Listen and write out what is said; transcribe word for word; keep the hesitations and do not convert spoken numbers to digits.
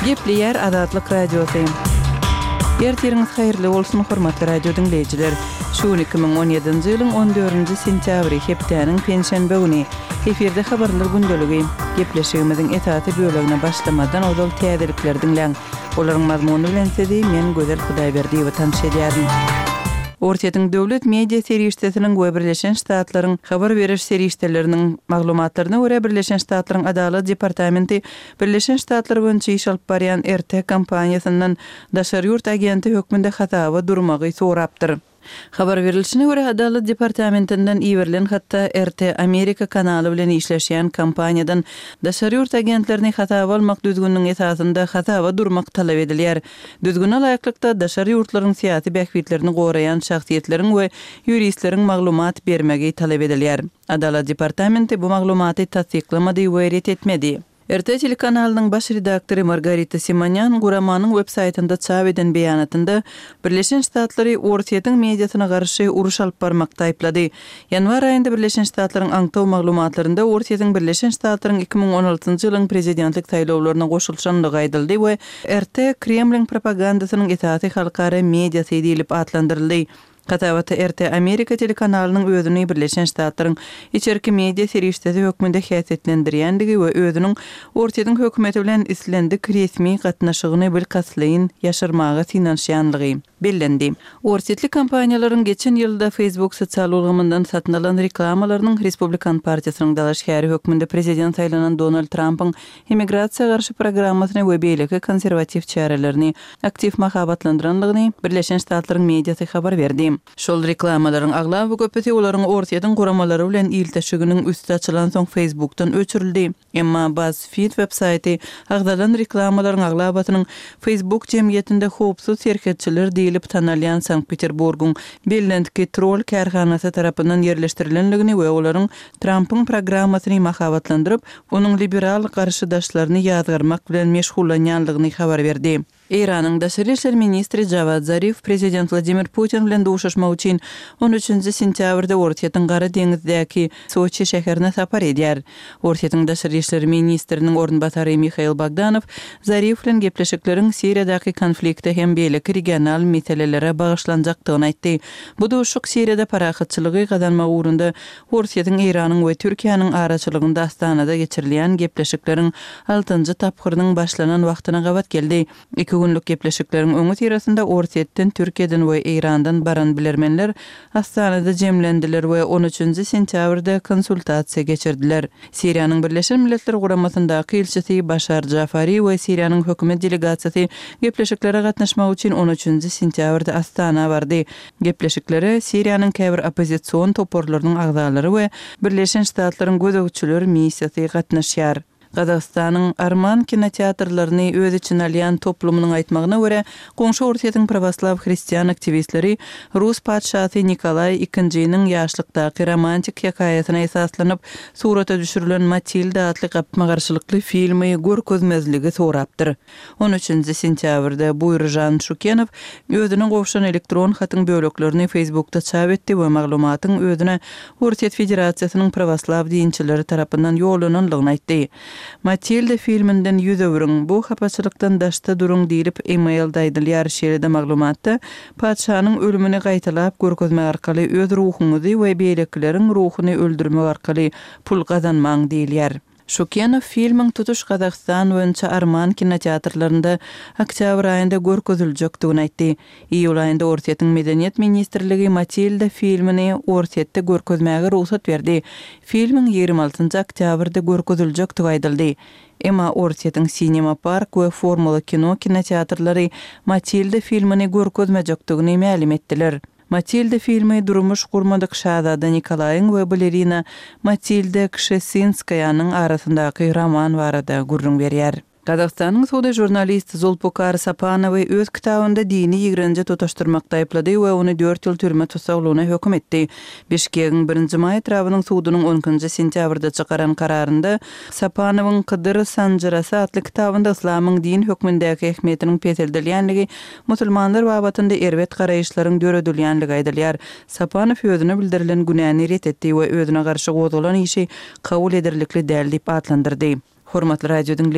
Gepleýär Azatlyk Radiosy. Ertiriňiz haýyrly bolsun, hormatly radio diňleýjiler. Şu gün iki müň on ýedinji ýylyň on dördünji sentýabry, hepdäniň penşenbe güni. Efirde habarlar gündeligi. Gepleşigimiziň esasy bölegine başlamazdan ozal täzelikleri diňläň. Olaryň mazmuny bilen sizi men Gözel Hudaýberdiýewa tanyş edýärin. Orsýetiň döwlet media serişdesiniň we Birleşen Ştatlaryň habar beriş serişdeleriniň maglumatlaryna görä, Birleşen Ştatlaryň Adalat departamenti Birleşen Ştatlar boýunça iş alyp barýan R T kompaniýasyndan daşary ýurt agenti hökmünde hasaba durmagy sorapdyr. Habar berilişine görä, Adalat departamentinden iberilen hatda R T Amerika kanaly bilen işleşýän kompaniýadan daşary ýurt agentlerini hasaba almak düzgüniniň esasynda hasaba durmak talap edilýär. Düzgüne laýyklykda daşary ýurtlaryň syýasy bähbitlerini goraýan şahsyýetleriň we ýuristleriň maglumat bermegi talap edilýär. Adalat departamenti bu maglumaty tassyklamady we ret etmedi. R T telekanalynyň baş redaktory Margarita Simonyan guramanyň web-saýtynda çap eden beýanatynda Birleşen Ştatlary Orsýetiň mediasyna garşy uruş alyp barmakda aýyplady. Ýanwar aýynda Birleşen Ştatlaryň aňtaw maglumatlarynda Orsýetiň Birleşen Ştatlaryň iki müň on altynjy ýylyň prezidentlik saýlawlaryna goşulyşanlygy aýdyldy we R T Kremliň propagandasynyň esasy halkara mediasy diýlip atlandyryldy. Hasabatda R T Amerika telekanalynyň özüni Birleşen Ştatlaryň içerki media serişdesi hökmünde häsiýetlendirýändigi we özüniň Orsýetiň hökümeti bilen islendik resmi gatnaşygyny bilkastlaýyn ýaşyrmaga synanyşýanlygy bellendi. Orsýetli kompaniýalaryň geçen ýylda Facebook sosial ulgamyndan satyn alan reklamalarynyň Respublikan partiýasynyň dalaşgäri hökmünde prezident saýlanan Donald Trumpyň immigrasiýa garşy programmasyny we beýleki konserwatiw çärelerini aktiw mahabatlandyranlygyny Birleşen Ştatlaryň mediasy habar berdi. Şol reklamalaryň aglaba köpüsi olaryň Orsýetiň guramalary bilen ilteşiginiň üsti açylan soň Facebookdan öçürildi. Emma BuzzFeed web-saýty agzalan reklamalaryň aglabasynyň Facebook jemgyýetinde howpsuz serhetçiler diýlip tanalýan Sankt-Peterburgyň bellentki troll kärhanasy tarapyndan ýerleşdirilenligini we olaryň Trumpyň programmasyny mahabatlandyryp, onuň liberal garşydaşlaryny ýazgarmak bilen meşgullanýanlygyny habar berdi. Eýranyň daşary işler ministri Javad Zarif prezident Wladimir Putin bilen duşuşmak üçin on üçünji sentýabrda Orsýetiň Gara deňizdäki Soçi şäherine sapar edýär. Orsýetiň daşary işler ministriniň orunbasary Mihail Bogdanow Zarif bilen gepleşikleriň Siriýadaky konflikte hem beýleki regional meselelere bagyşlanjakdygyny aýtdy. Bu duşuşyk Siriýada parahatçylygy gazanmak ugrunda Orsýetiň, Eýranyň we Türkiýäniň araçylygynda Astanada geçirilýän gepleşikleriň altynjy tapgyrynyň başlanan wagtyna gabat geldi. Iki günlük gepleşikleriň öňi syrasynda Orsýetden, Türkiýeden we Eýrandan baran bilermenler Astanada jemlendiler we on üçünji sentýabrda konsultasiýa geçirdiler. Siriýanyň Birleşen Milletler Guramasyndaky ilçisi Başar Jafari we Siriýanyň hökümet delegasiýasy gepleşiklere gatnaşmak üçin on üçünji sentýabrda Astana bardy. Gepleşiklere Siriýanyň käbir oppozision toparlarynyň agzalary we Birleşen Ştatlaryň gözegçiler missiýasy gatnaşýar. Gazagystanyň Arman kinoteatrlaryny öz içine alýan toplumynyň aýtmagyna görä, goňşy Orsýetiň pravoslaw hristian aktiwistleri Rus patyşasy Nikolaý ikinjiniň ýaşlykdaky romantik hekaýasyna esaslanyp surata düşürilen Matilda atly gapma-garşylykly filmi görkezmezligi sorapdyr. on üçünji sentýabrda Buýurjan Şukenow özüne gowşan elektron hatyň böleklerini Facebookda çap etdi we maglumatyň özüne Orsýet Federasiýasynyň pravoslaw dinçileri tarapyndan ýollananlygyny aýtdy. Matilda filminden ýüz öwrüň, bu hapaçylykdan daşda duruň diýlip e-mailde aýdylýar. Şeýle-de maglumatda patyşanyň ölümini gaýtalap görkezmek arkaly öz ruhuňyzy we beýlekileriň ruhuny öldürmek arkaly pul gazanmaň diýilýär. Şukenow filmiň tutuş Gazagystan boýunça Arman kinoteatrlarynda oktýabr aýynda görkeziljekdigini aýtdy. Iýul aýynda Orsýetiň Medeniýet ministrligi Matilda filmini Orsýetde görkezmäge rugsat berdi. Filmiň ýigrimi altynjy oktýabrda görkeziljekdigi aýdyldy. Emma Orsýetiň Cinema Park we Formula Kino kinoteatrlary Matilda filmini görkezmejekdigini mälim etdiler. Matilda filmi durmuş gurmadyk şazada Nikolaýyň we balerina Matilda Kşesinskaýanyň arasyndaky roman barada gürrüň berýär. Gazagystanyň sudy jurnalist Zulpukar Sapanowy öz kitabynda dini ýigrenji tutaşdyrmakda aýyplady we ony dört ýyl türme tussaglygyna höküm etdi. Bişkegiň birinji maý etrabynyň sudunyň on ikinji sentýabrda çykaran kararynda Sapanowyň Kydyr Sanjyrasy atly kitabynda yslamyň din hökmündäki ähmiýetiniň peseldilýänligi, musulmanlar babatynda erbet garaýyşlaryň döredilýänligi aýdylýar. Sapanow özüne bildirilen günäni ret etdi we özüne garşy gozgalan işi kabul ederlikli däl diýip atlandyrdy. Hormatly radio dinleýjiler,